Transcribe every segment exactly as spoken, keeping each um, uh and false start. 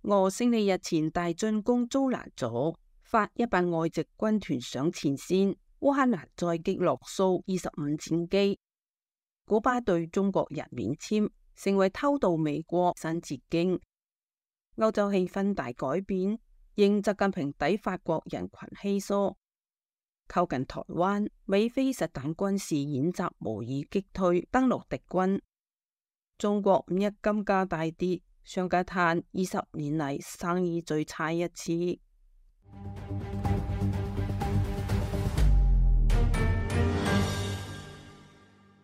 俄勝利日前大進攻遭攔阻，發一百外籍軍團上前線。烏克蘭再擊落蘇二十五戰機。古巴對中國人免簽，成為偷渡美國新捷徑。歐洲氣氛大改變，應習近平抵法國人群稀疏。靠近台灣，美菲實彈軍事演習模擬擊退登陸敵軍。中國五一金價大跌，上街嘆二十年嚟生意最差一次。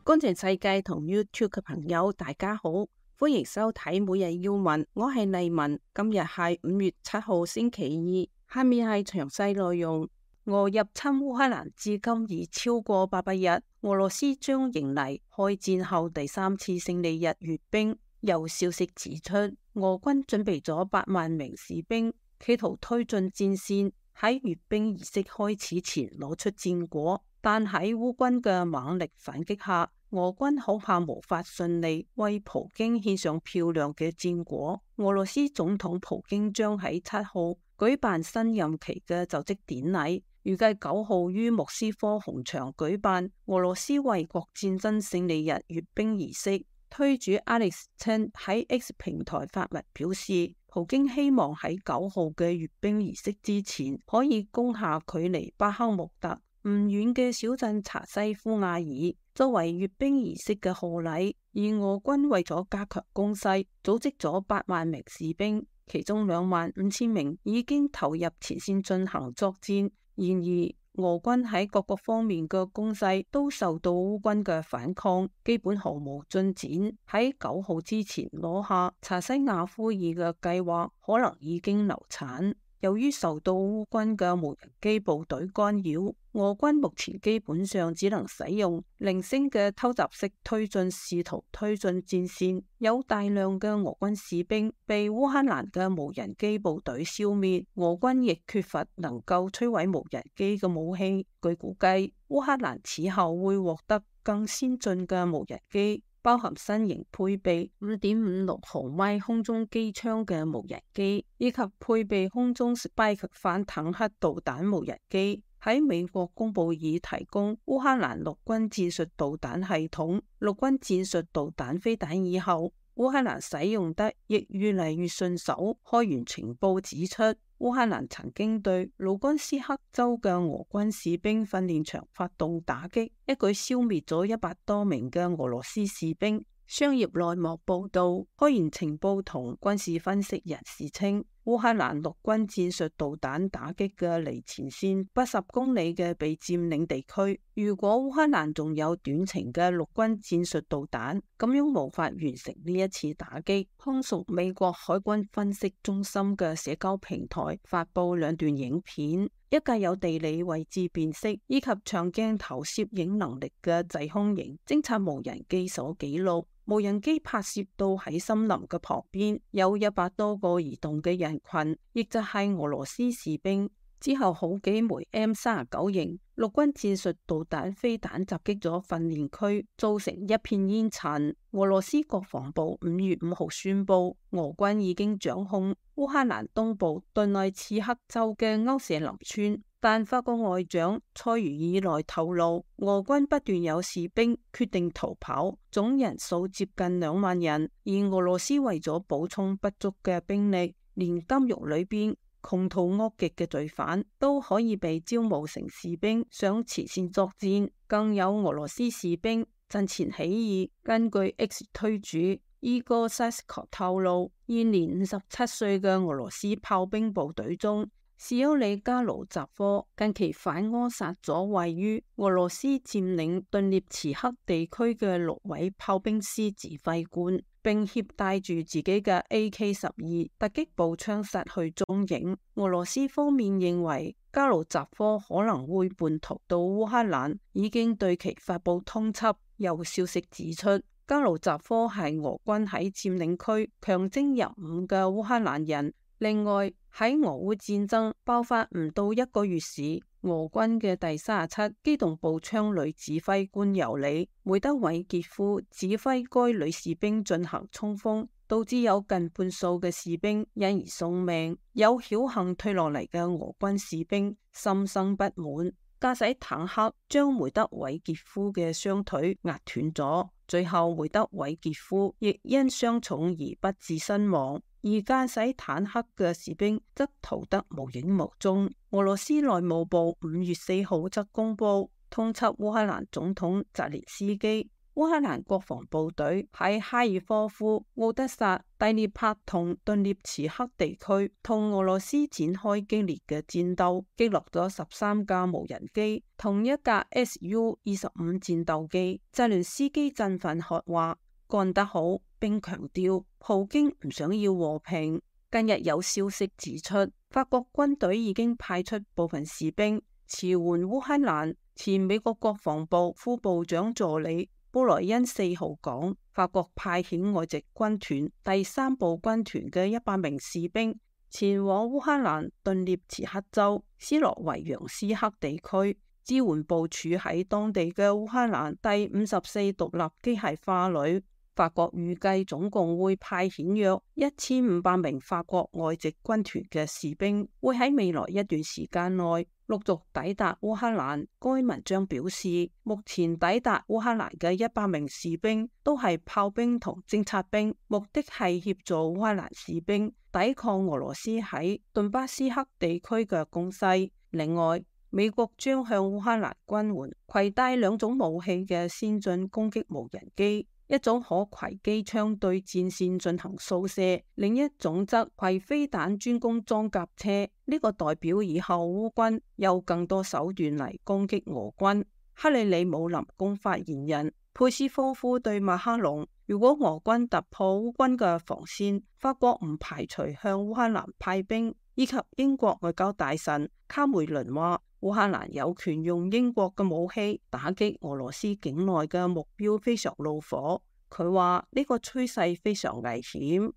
觀察世界同 YouTube 嘅朋友，大家好，歡迎收睇每日要聞，我係麗文。今日係五月七號星期二，下面係詳細內容。俄入侵烏克蘭至今已超過八百日，俄羅斯將迎嚟開戰後第三次勝利日閱兵。有消息指出，俄軍準備咗八萬名士兵，企圖推進戰線，喺閱兵儀式開始前攞出戰果。但喺烏軍嘅猛力反擊下，俄軍恐怕無法順利為普京獻上漂亮嘅戰果。俄羅斯總統普京將喺七號舉辦新任期嘅就職典禮，預計九號於莫斯科紅場舉辦俄羅斯衛國戰爭勝利日閱兵儀式。推主 Alex Chen 喺 X 平台發文表示，普京希望喺九號嘅閱兵儀式之前可以攻下距離巴克穆特唔遠嘅小鎮查西夫亞爾，作為閱兵儀式嘅賀禮。而俄軍為咗加強攻勢，組織咗八萬名士兵，其中兩萬五千名已經投入前線進行作戰。然而，俄軍喺各個方面嘅攻勢都受到烏軍嘅反抗，基本毫無進展。喺九號之前攞下查西亞夫爾嘅計劃可能已經流產。由於受到烏軍嘅無人機部隊干擾，俄軍目前基本上只能使用零星嘅偷襲式推進，試圖推進戰線。有大量嘅俄軍士兵被烏克蘭嘅無人機部隊消滅，俄軍亦缺乏能夠摧毀無人機嘅武器。據估計，烏克蘭此後會獲得更先進嘅無人機，包含新型配備五點五六毫米空中機槍嘅無人機，以及配備空中 Spike 反坦克導彈無人機。喺美國公佈已提供烏克蘭陸軍戰術導彈系統、陸軍戰術導彈飛彈以後，烏克蘭使用得亦越嚟越順手。開源情報指出，烏克蘭曾經對盧甘斯克州嘅俄軍士兵訓練場發動打擊，一舉消滅咗一百多名嘅俄羅斯士兵。商業內幕報道，開源情報同軍事分析人士稱，烏克蘭陸軍戰術導彈打擊嘅離前線八十公里嘅被佔領地區，如果烏克蘭仲有短程嘅陸軍戰術導彈，咁樣無法完成呢一次打擊。空屬美國海軍分析中心嘅社交平台發佈兩段影片，一架有地理位置辨識以及長鏡頭攝影能力嘅制空型偵察無人機所記錄。無人機拍攝到喺森林嘅旁邊有一百多個移動嘅人群，亦就係俄羅斯士兵。之後好幾枚 M 三十九型陸軍戰術導彈飛彈襲擊咗訓練區，造成一片煙塵。俄羅斯國防部五月五號宣布，俄軍已經掌控烏克蘭東部頓內茨克州嘅歐舍林村。但法國外長塞茹爾內透露，俄軍不斷有士兵決定逃跑，總人數接近兩萬人。而俄羅斯為咗補充不足嘅兵力，連監獄裏邊窮途惡極嘅罪犯都可以被招募成士兵上前線作戰。更有俄羅斯士兵陣前起義。根據 X 推主伊戈塞斯科透露，現年五十七歲嘅俄羅斯炮兵部隊中，士歐里加魯扎科近期反柯殺咗位於俄羅斯佔領頓涅茨克地區嘅六位炮兵師指揮官，並攜帶住自己嘅 A K 十二突擊步槍失去蹤影。俄羅斯方面認為加魯扎科可能會叛逃到烏克蘭，已經對其發布通緝。有消息指出，加魯扎科係俄軍喺佔領區強徵入伍嘅烏克蘭人。另外，喺俄烏戰爭爆發唔到一個月時，俄軍嘅第三十七機動步槍旅指揮官尤里梅德韋傑夫指揮該女士兵進行衝鋒，導致有近半數嘅士兵因而送命。有僥倖退落嚟嘅俄軍士兵心生不滿，駕駛坦克將梅德韋傑夫嘅雙腿壓斷咗，最後梅德韋傑夫亦因傷重而不治身亡。而駕駛坦克嘅士兵則逃得無影無蹤。俄羅斯內務部五月四號則公布通緝烏克蘭總統澤連斯基。烏克蘭國防部隊喺哈爾科夫、敖德薩、第聶伯同頓涅茨克地區同俄羅斯展開激烈嘅戰鬥，擊落咗十三架無人機同一架 S U 二十五戰鬥機。澤連斯基振奮喝話：幹得好，並強調普京唔想要和平。近日有消息指出，法國軍隊已經派出部分士兵馳援烏克蘭。前美國國防部副部長助理布萊恩四號講，法國派遣外籍軍團第三部軍團嘅一百名士兵前往烏克蘭頓涅茨克州斯洛維揚斯克地區，支援部署喺當地嘅烏克蘭第五十四獨立機械化旅。法國預計總共會派遣約一千五百名法國外籍軍團嘅士兵，會喺未來一段時間內陸續抵達烏克蘭。該文章表示，目前抵達烏克蘭嘅一百名士兵都係炮兵同偵察兵，目的係協助烏克蘭士兵抵抗俄羅斯喺頓巴斯克地區嘅攻勢。另外，美國將向烏克蘭軍援攜帶兩種武器嘅先進攻擊無人機。一種可攜機槍對戰線進行掃射，另一種則攜飛彈專攻裝甲車。呢、這個代表以後烏軍有更多手段嚟攻擊俄軍。克里里姆林宮發言人佩斯科夫對馬克龍：如果俄軍突破烏軍嘅防線，法國唔排除向烏克蘭派兵。以及英國外交大臣卡梅倫話：烏克蘭有權用英國嘅武器打擊俄羅斯境內嘅目標，非常怒火。佢話呢個趨勢非常危險。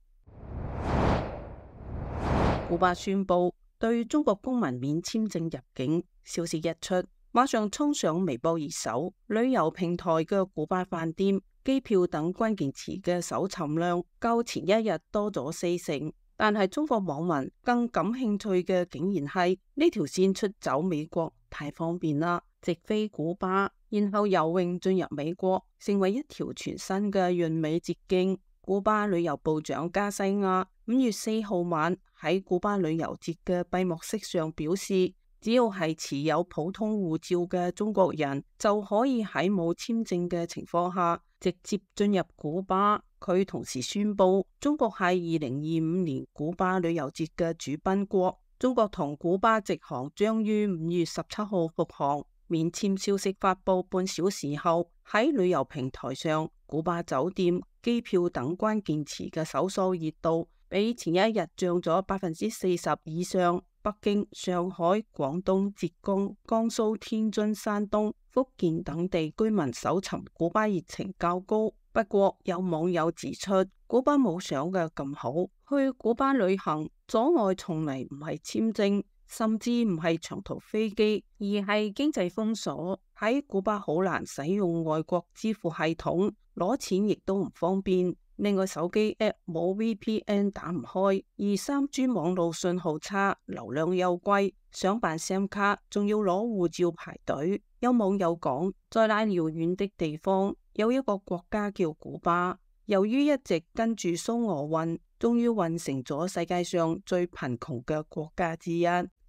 古巴宣布對中國公民免簽證入境，消息一出，馬上衝上微博熱搜，旅遊平台嘅古巴飯店、機票等關鍵詞嘅搜尋量較前一日多咗四成。但係中國網民更感興趣嘅竟然係呢條線出走美國太方便啦，直飛古巴，然後游泳進入美國，成為一條全新嘅潤美捷徑。古巴旅遊部長加西亞五月四號晚喺古巴旅遊節嘅閉幕式上表示，只要係持有普通護照嘅中國人就可以喺冇簽證嘅情況下直接進入古巴。佢同時宣布，中國係二零二五年古巴旅遊節嘅主賓國。中國同古巴直航將於五月十七號復航。免簽消息發布半小時後，喺旅遊平台上，古巴酒店、機票等關鍵詞嘅搜索熱度比前一日漲咗百分之四十以上。北京、上海、廣東、浙江、江蘇、天津、山東、福建等地居民搜尋古巴熱情較高。不過有網友指出，古巴冇想嘅咁好，去古巴旅行阻礙從嚟唔係簽證，甚至唔係長途飛機，而係經濟封鎖。喺古巴好難使用外國支付系統，攞錢亦都唔方便。另外手機 app 冇 V P N 打唔開，而三 G 網路信號差，流量又貴，想辦 SIM 卡仲要攞護照排隊。有網友講，在那遙遠的地方有一個國家叫古巴，由於一直跟住蘇俄運，終於運成咗世界上最貧窮嘅國家之一。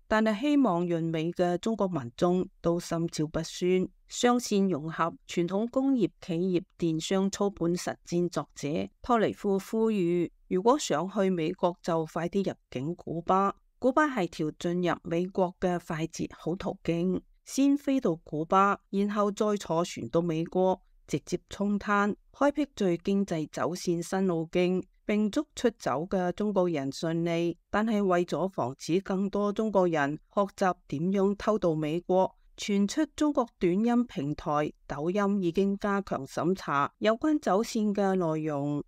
但係希望潤美嘅中國民眾都心照不宣。雙線融合傳統工業企業電商操盤實戰作者托尼夫呼籲，如果想去美國就快啲入境古巴。古巴係條進入美國嘅快捷好途徑，先飛到古巴，然後再坐船到美國，直接衝灘，開闢最經濟走線新路徑，並祝出走嘅中國人順利。但係為咗防止更多中國人學習點樣偷渡美國，傳出中國短音平台抖音已經加強審查有關走線嘅內容。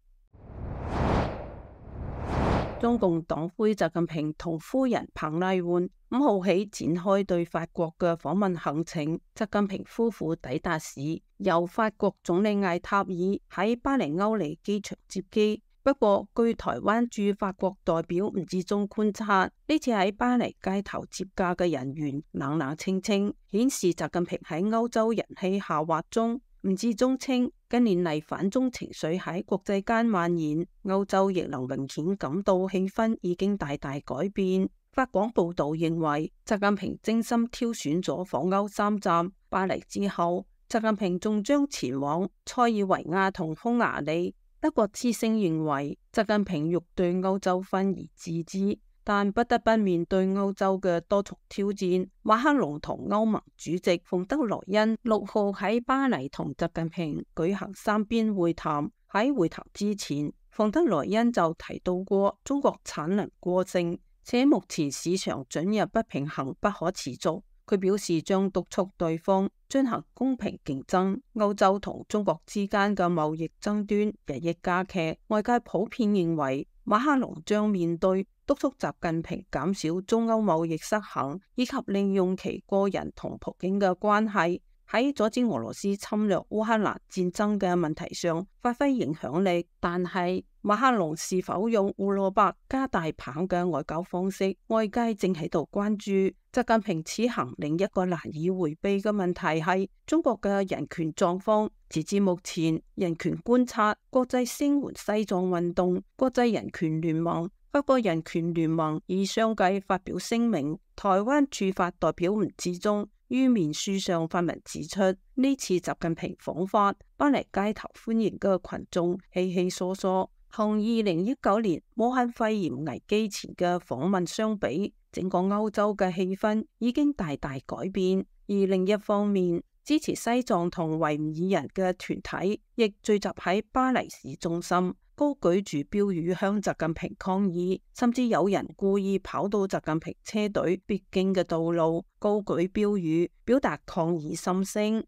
中共黨魁習近平同夫人彭麗媛五號起展開對法國嘅訪問行程。習近平夫婦抵達時，由法國總理艾塔爾喺巴黎歐尼機場接機，不過，據台灣駐法國代表吳志忠觀察，呢次喺巴黎街頭接駕嘅人員冷冷清清，顯示習近平喺歐洲人氣下滑中。吳志忠稱，近年嚟反中情緒喺國際間蔓延，歐洲亦能明顯感到氣氛已經大大改變。法廣報道認為，習近平精心挑選咗訪歐三站，巴黎之後，習近平仲將前往塞爾維亞同匈牙利。德國之聲認為，習近平欲對歐洲分而治之，但不得不面對歐洲嘅多重挑戰。馬克龍同歐盟主席馮德萊恩六號喺巴黎同習近平舉行三邊會談。喺會談之前，馮德萊恩就提到過中國產能過剩，且目前市場准入不平衡不可持續。佢表示將督促對方進行公平競爭。歐洲同中國之間嘅貿易爭端日益加劇，外界普遍認為馬克龍將面對督促習近平減少中歐貿易失衡，以及利用其個人同普京嘅關係喺阻止俄羅斯侵略烏克蘭戰爭嘅問題上發揮影響力。但係馬克龍是否用胡蘿蔔加大棒嘅外交方式，外界正喺度關注。習近平此行另一個難以回避嘅問題係中國嘅人權狀況。截至目前，人權觀察、國際聲援西藏運動、國際人權聯盟、法國人權聯盟已相繼發表聲明。台灣駐法代表吳志忠於面書上發文指出，呢次習近平訪法，巴黎街頭歡迎嘅群眾稀稀疏疏，同二零一九年武漢肺炎危機前嘅訪問相比，整個歐洲嘅氣氛已經大大改變。而另一方面，支持西藏同維吾爾人嘅團體亦聚集喺巴黎市中心，高舉住標語向習近平抗議，甚至有人故意跑到習近平車隊必經嘅道路，高舉標語表達抗議心聲。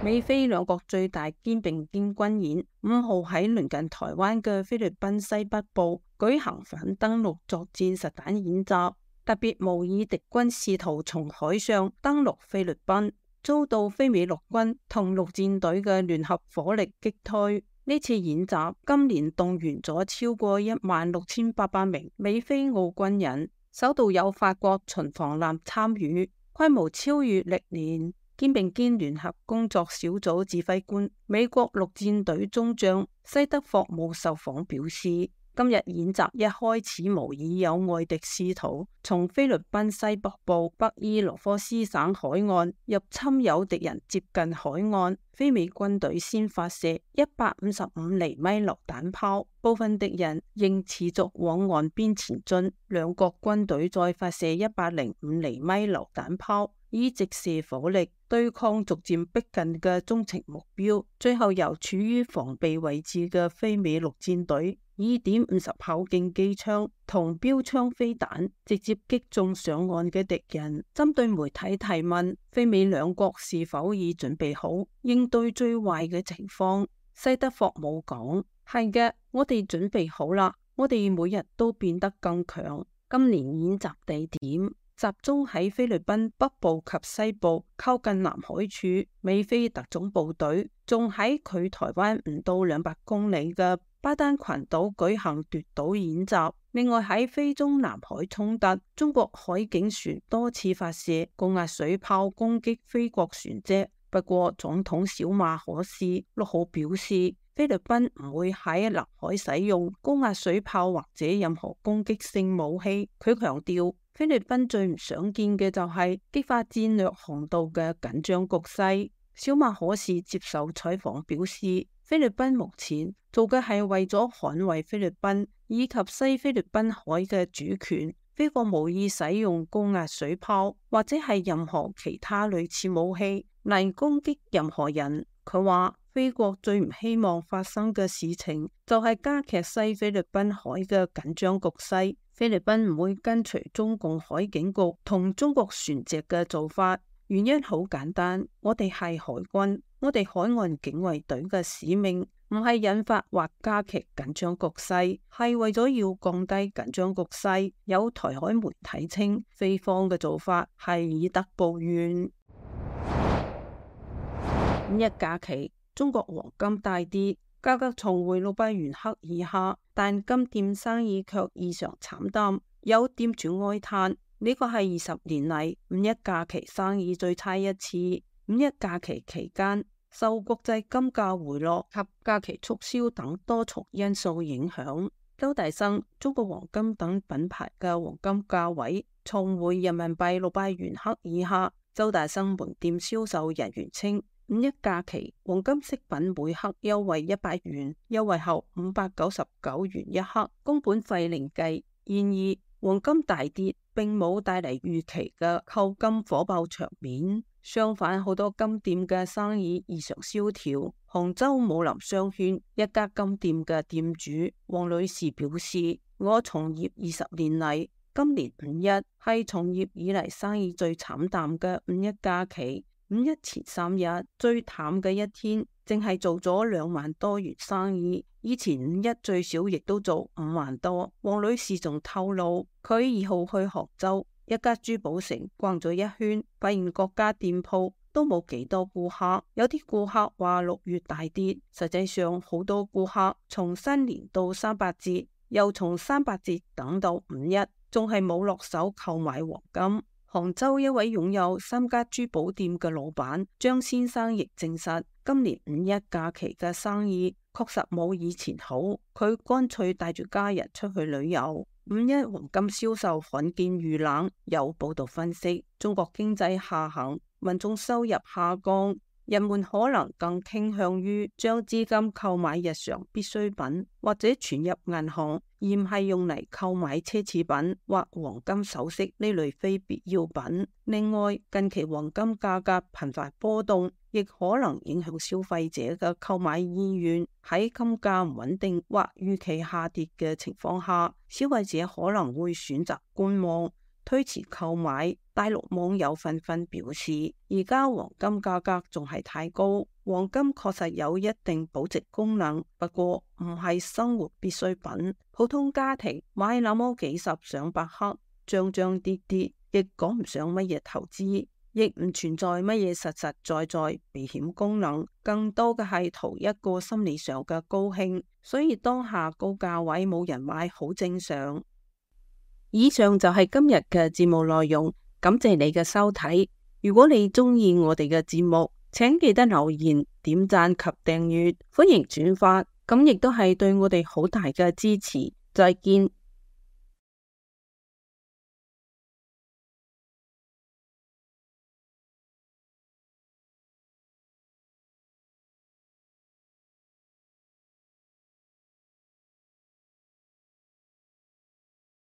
美菲兩國最大肩並肩軍演五號喺鄰近台灣嘅菲律賓西北部舉行反登陸作戰實彈演習，特別模擬敵軍試圖從海上登陸菲律賓，遭到菲美陸軍同陸戰隊嘅聯合火力擊退。呢次演習今年動員咗超過一萬六千八百名美菲澳軍人，首度有法國巡防艦參與，規模超越歷年。肩並肩聯合工作小組指揮官美國陸戰隊中將西德霍姆受訪表示，今日演習一開始模擬有外敵試圖從菲律賓西北部北伊羅科斯省海岸入侵有敵人接近海岸，菲美軍隊先發射一百五十五厘米榴彈炮，部分敵人仍持續往岸邊前進，兩國軍隊再發射一百零五厘米榴彈炮，以直射火力對抗逐漸逼近嘅中程目標，最後由處於防備位置嘅菲美陸戰隊以點五十口徑機槍同標槍飛彈直接擊中上岸嘅敵人。針對媒體提問，菲美兩國是否已準備好應對最壞嘅情況，西德霍姆講：係嘅，我哋準備好啦，我哋每日都變得更強。今年演習地點集中喺菲律賓北部及西部靠近南海處，美菲特種部隊仲喺距台灣唔到兩百公里嘅巴丹群島舉行奪島演習。另外喺非中南海衝突，中國海警船多次發射高壓水炮攻擊菲國船隻。不過總統小馬可斯六號表示，菲律賓唔會喺南海使用高壓水炮或者任何攻擊性武器。佢強調，菲律賓最唔想見嘅就係激發戰略航道嘅緊張局勢。小馬可斯接受採訪表示，菲律賓目前做嘅係為咗捍衛菲律賓以及西菲律賓海嘅主權，菲國無意使用高壓水炮或者係任何其他類似武器嚟攻擊任何人。佢話，菲國最唔希望發生嘅事情就係加劇西菲律賓海嘅緊張局勢。菲律賓唔會跟隨中共海警局同中國船隻嘅做法，原因好簡單，我哋係海軍，我哋海岸警衛隊嘅使命唔係引發或加劇緊張局勢，係為咗要降低緊張局勢。有台海媒體稱，菲方嘅做法係以德報怨。五一假期，中國黃金大跌，價格重回六百元克以下，但金店生意卻異常慘淡。有店主哀嘆：呢個係二十年嚟五一假期生意最差一次。五一假期期間，受國際金價回落及假期促銷等多重因素影響，周大生、中國黃金等品牌嘅黃金價位重回人民幣六百元克以下。周大生門店銷售人員稱，五一假期黃金飾品每克優惠一百元，優惠後五百九十九元一克，工本費另計。然而黃金大跌並冇帶嚟預期嘅購金火爆場面，相反好多金店嘅生意異常蕭條。杭州武林商圈一家金店嘅店主黃女士表示：我從業二十年嚟，今年五一係從業以嚟生意最慘淡嘅五一假期。五一前三日最淡嘅一天，淨係做咗兩萬多元生意。以前五一最少亦都做五萬多。黃女士仲透露，佢二號去杭州一家珠寶城逛咗一圈，發現各家店鋪都冇幾多顧客。有啲顧客話六月大跌，實際上好多顧客從新年到三八節，又從三八節等到五一，仲係冇落手購買黃金。杭州一位擁有三家珠寶店嘅老闆張先生亦證實，今年五一假期嘅生意確實冇以前好，佢乾脆帶住家人出去旅遊。五一黃金銷售罕見遇冷，有報道分析，中國經濟下行，民眾收入下降，人們可能更傾向於將資金購買日常必需品或者存入銀行，而唔係用嚟購買奢侈品或黃金首飾呢類非必要品。另外，近期黃金價格頻繁波動，亦可能影響消費者嘅購買意願。喺金價唔穩定或預期下跌嘅情況下，消費者可能會選擇觀望，推遲購買。大陸網友紛紛表示，而家黃金價格仲係太高，黃金確實有一定保值功能，不過唔係生活必需品。普通家庭買那麼幾十上百克，漲漲跌跌，亦講唔上乜嘢投資，亦唔存在乜嘢實實在在避險功能，更多嘅係圖一個心理上嘅高興。所以當下高價位冇人買，好正常。以上就係今日嘅節目內容。感謝你嘅收睇，如果你中意我哋嘅節目，請記得留言、點讚及訂閱，歡迎轉發，咁亦都係對我哋好大嘅支持。再見。